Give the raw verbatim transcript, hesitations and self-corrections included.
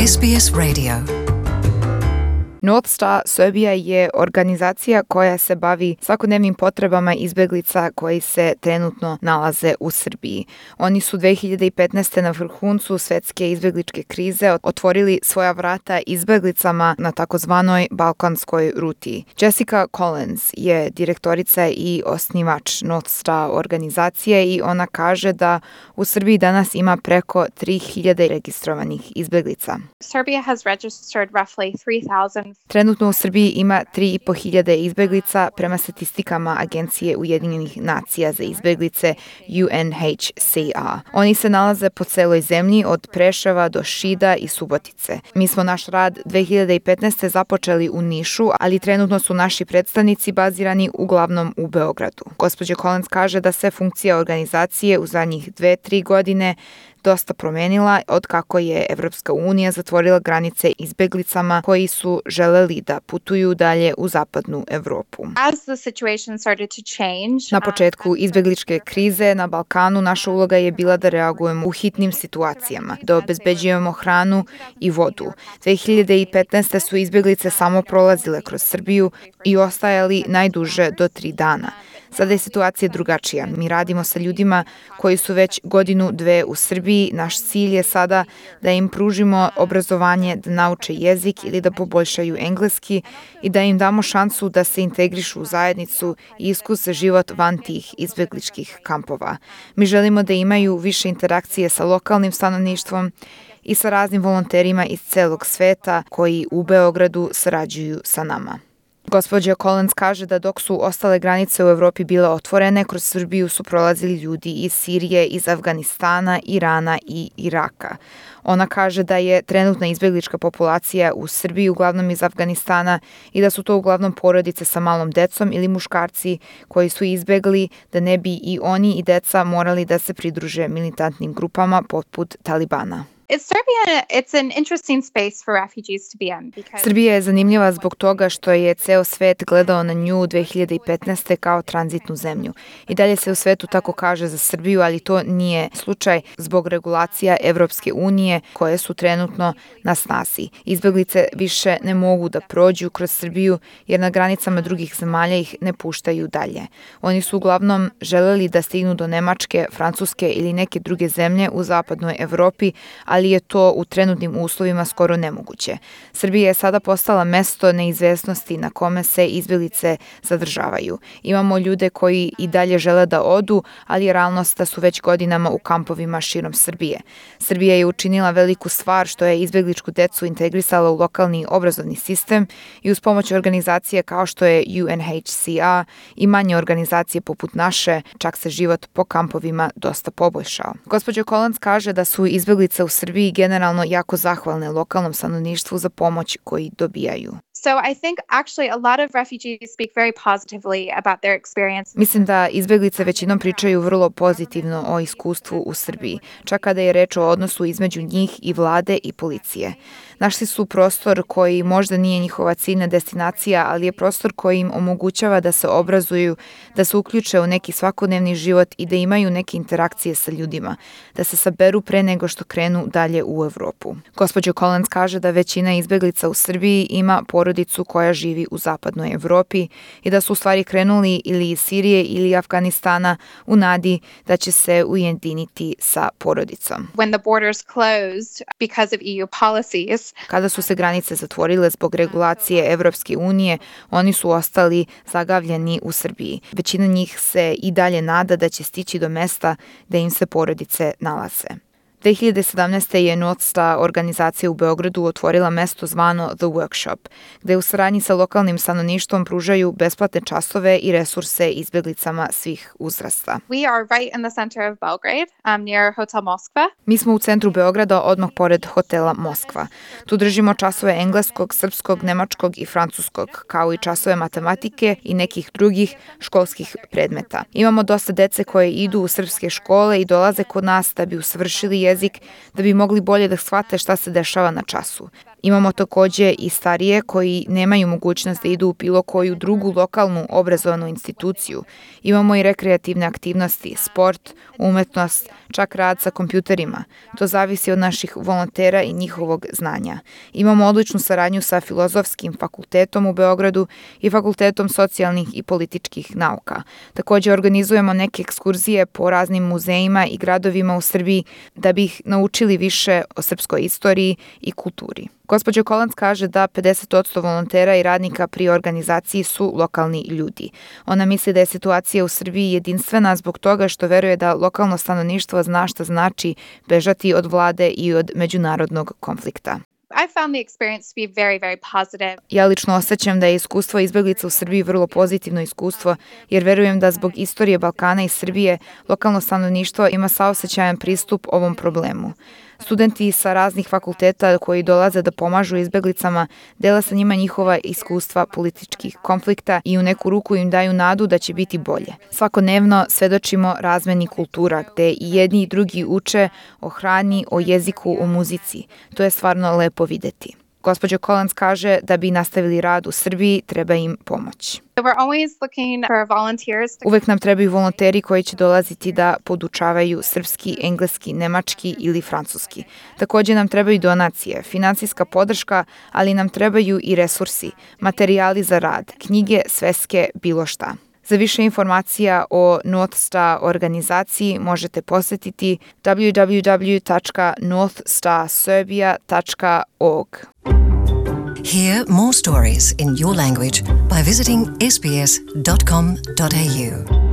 S B S Radio. North Star Serbia je organizacija koja se bavi svakodnevnim potrebama izbeglica koji se trenutno nalaze u Srbiji. Oni su dve hiljade petnaeste. na vrhuncu svetske izbegličke krize otvorili svoja vrata izbeglicama na takozvanoj balkanskoj ruti. Jessica Collins je direktorica i osnivač North Star organizacije i ona kaže da u Srbiji danas ima preko tri hiljade registrovanih izbeglica. Serbia has registered roughly three thousand. Trenutno u Srbiji ima tri i po hiljade izbeglica prema statistikama Agencije Ujedinjenih nacija za izbeglice U N H C R. Oni se nalaze po celoj zemlji od Preševa do Šida i Subotice. Mi smo naš rad dve hiljade petnaeste. započeli u Nišu, ali trenutno su naši predstavnici bazirani uglavnom u Beogradu. Gospođa Collins kaže da se funkcija organizacije u zadnjih dve, tri godine dosta promenila od kako je Evropska unija zatvorila granice izbeglicama koji su želeli da putuju dalje u zapadnu Evropu. As the situation started to change, Na početku izbegličke krize na Balkanu naša uloga je bila da reagujemo u hitnim situacijama, da obezbeđujemo hranu i vodu. dve hiljade petnaeste. su izbeglice samo prolazile kroz Srbiju i ostajali najduže do tri dana. Sada je situacija drugačija. Mi radimo sa ljudima koji su već godinu, dve u Srbiji. Naš cilj je sada da im pružimo obrazovanje, da nauče jezik ili da poboljšaju engleski i da im damo šansu da se integrišu u zajednicu i iskuse život van tih izbegličkih kampova. Mi želimo da imaju više interakcije sa lokalnim stanovništvom i sa raznim volonterima iz celog sveta koji u Beogradu sarađuju sa nama. Gospođa Collins kaže da dok su ostale granice u Evropi bile otvorene, kroz Srbiju su prolazili ljudi iz Sirije, iz Afganistana, Irana i Iraka. Ona kaže da je trenutna izbeglička populacija u Srbiji uglavnom iz Afganistana i da su to uglavnom porodice sa malom decom ili muškarci koji su izbegli da ne bi i oni i deca morali da se pridruže militantnim grupama poput Talibana. It's Serbia, it's an interesting space for refugees to be in because Srbija je zanimljiva zbog toga što je ceo svet gledao na nju dve hiljade petnaeste. kao tranzitnu zemlju. I dalje se u svetu tako kaže za Srbiju, ali to nije slučaj zbog regulacija Evropske unije koje su trenutno na snazi. Izbeglice više ne mogu da prođu kroz Srbiju jer na granicama drugih zemalja ih ne puštaju dalje. Oni su uglavnom želeli da stignu do Nemačke, Francuske ili neke druge zemlje u zapadnoj Evropi, ali je to u trenutnim uslovima skoro nemoguće. Srbija je sada postala mesto neizvesnosti na kome se izbeglice zadržavaju. Imamo ljude koji i dalje žele da odu, ali je realnost da su već godinama u kampovima širom Srbije. Srbija je učinila veliku stvar što je izbegličku decu integrisala u lokalni obrazovni sistem i uz pomoć organizacije kao što je U N H C R i manje organizacije poput naše, čak se život po kampovima dosta poboljšao. Gospođa Collins kaže da su izbeglice u Srbiji generalno jako zahvalne lokalnom stanovništvu za pomoć koji dobijaju. So I think actually a lot of refugees speak very positively about their experience. Mislim da izbeglice većinom pričaju vrlo pozitivno o iskustvu u Srbiji, čak kada je reč o odnosu između njih i vlade i policije. Našli su prostor koji možda nije njihova ciljna destinacija, ali je prostor koji im omogućava da se obrazuju, da se uključe u neki svakodnevni život i da imaju neke interakcije sa ljudima, da se saberu pre nego što krenu dalje u Evropu. Gospođa Collins kaže da većina izbeglica u Srbiji ima porodicu koja živi u zapadnoj Evropi i da su u stvari krenuli ili iz Sirije ili Afganistana u nadi da će se ujediniti sa porodicom. When the borders closed because of E U policies, Kada su se granice zatvorile zbog regulacije Evropske unije, oni su ostali zagavljeni u Srbiji. Većina njih se i dalje nada da će stići do mesta da im se porodice nalaze. dve hiljade sedamnaeste. je North Star organizacija u Beogradu otvorila mesto zvano The Workshop, gde u saradnji sa lokalnim stanovništvom pružaju besplatne časove i resurse izbeglicama svih uzrasta. we are right in the center of Belgrade, um, near Hotel Moskva. Mi smo u centru Beograda, odmah pored hotela Moskva. Tu držimo časove engleskog, srpskog, nemačkog i francuskog, kao i časove matematike i nekih drugih školskih predmeta. Imamo dosta dece koje idu u srpske škole i dolaze kod nas da bi usavršili jezik, da bi mogli bolje da shvate šta se dešava na času. Imamo takođe i starije koji nemaju mogućnost da idu u bilo koju drugu lokalnu obrazovanu instituciju. Imamo i rekreativne aktivnosti, sport, umetnost, čak rad sa kompjuterima. To zavisi od naših volontera i njihovog znanja. Imamo odličnu saradnju sa Filozofskim fakultetom u Beogradu i Fakultetom socijalnih i političkih nauka. Takođe organizujemo neke ekskurzije po raznim muzejima i gradovima u Srbiji da bi ih naučili više o srpskoj istoriji i kulturi. Gospođa Collins kaže da pedeset posto volontera i radnika pri organizaciji su lokalni ljudi. Ona misli da je situacija u Srbiji jedinstvena zbog toga što veruje da lokalno stanovništvo zna šta znači bežati od vlade i od međunarodnog konflikta. I found the experience to be very, very positive. Ja lično osjećam da je iskustvo izbeglica u Srbiji vrlo pozitivno iskustvo, jer verujem da zbog istorije Balkana i Srbije lokalno stanovništvo ima saosećajan pristup ovom problemu. Studenti sa raznih fakulteta koji dolaze da pomažu izbeglicama dele sa njima njihova iskustva političkih konflikta i u neku ruku im daju nadu da će biti bolje. Svakodnevno svedočimo razmeni kultura gde i jedni i drugi uče o hrani, o jeziku, o muzici. To je stvarno lepo videti. Gospođa Collins kaže da bi nastavili rad u Srbiji, treba im pomoć. Uvek nam trebaju volonteri koji će dolaziti da podučavaju srpski, engleski, nemački ili francuski. Takođe nam trebaju donacije, finansijska podrška, ali nam trebaju i resursi, materijali za rad, knjige, sveske, bilo šta. Za više informacija o North Star organizaciji možete posetiti w w w tačka north star serbia tačka org. Hear more stories in your language by visiting s b s dot com dot a u.